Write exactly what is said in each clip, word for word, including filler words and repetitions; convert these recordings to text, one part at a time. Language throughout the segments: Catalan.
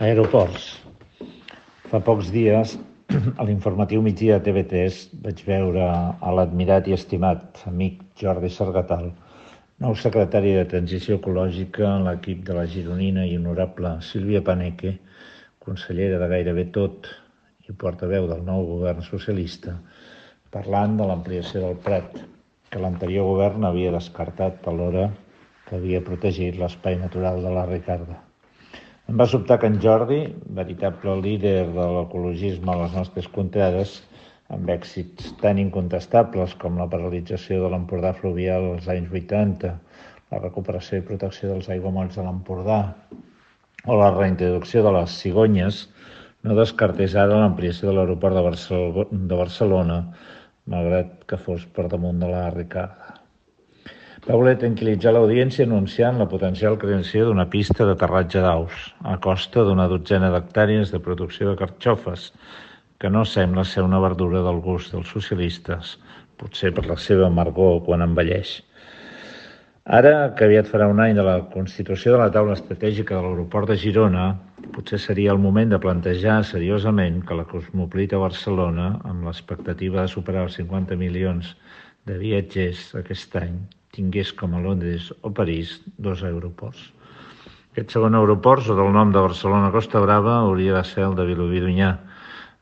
Aeroports. Fa pocs dies, a l'informatiu migdia de T V tres, vaig veure a l'admirat i estimat amic Jordi Sargatal, nou secretari de Transició Ecològica en l'equip de la gironina i honorable Sílvia Paneque, consellera de gairebé tot i portaveu del nou govern socialista, parlant de l'ampliació del Prat, que l'anterior govern havia descartat alhora que havia protegit l'espai natural de la Ricarda. Em va sobtar que en Jordi, veritable líder de l'ecologisme a les nostres contrades, amb èxits tan incontestables com la paralització de l'Empordà fluvial als anys vuitanta, la recuperació i protecció dels aiguamolls de l'Empordà o la reintroducció de les cigonyes, no descartés ara l'ampliació de l'aeroport de, Barcel de Barcelona, malgrat que fos per damunt de la Ricarda. Va voler tranquil·litzar l'audiència anunciant la potencial creació d'una pista d'aterratge d'aus, a costa d'una dotzena d'hectàrees de producció de carxofes, que no sembla ser una verdura del gust dels socialistes, potser per la seva amargor quan envelleix. Ara, que aviat farà un any de la constitució de la taula estratègica de l'aeroport de Girona, potser seria el moment de plantejar seriosament que la cosmopolita Barcelona, amb l'expectativa de superar els cinquanta milions de viatgers aquest any, tingués com a Londres o París dos aeroports. Aquest segon aeroport, sota el nom de Barcelona Costa Brava, hauria de ser el de Vilobí d'Onyar,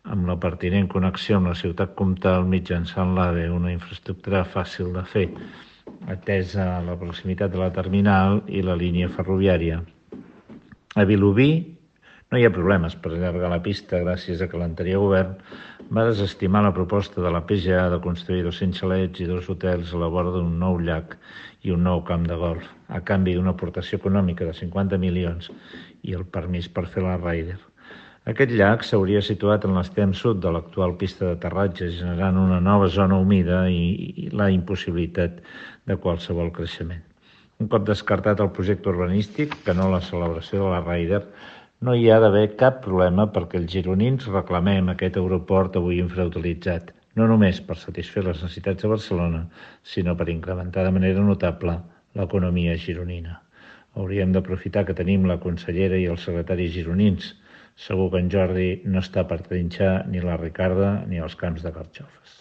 amb la pertinent connexió amb la ciutat comtal mitjançant l'AVE, una infraestructura fàcil de fer, atesa la proximitat de la terminal i la línia ferroviària. A Vilobí no hi ha problemes per allargar la pista gràcies a que l'anterior govern va desestimar la proposta de la P G A de construir dos-cents xalets i dos hotels a la vora d'un nou llac i un nou camp de golf, a canvi d'una aportació econòmica de cinquanta milions i el permís per fer la Ryder. Aquest llac s'hauria situat en l'extrem sud de l'actual pista d'aterratge, generant una nova zona humida i la impossibilitat de qualsevol creixement. Un cop descartat el projecte urbanístic, que no la celebració de la Ryder, no hi ha d'haver cap problema perquè els gironins reclamem aquest aeroport avui infrautilitzat, no només per satisfer les necessitats de Barcelona, sinó per incrementar de manera notable l'economia gironina. Hauríem d'aprofitar que tenim la consellera i els secretaris gironins. Segur que en Jordi no està per trinxar ni la Ricarda ni els camps de carxofes.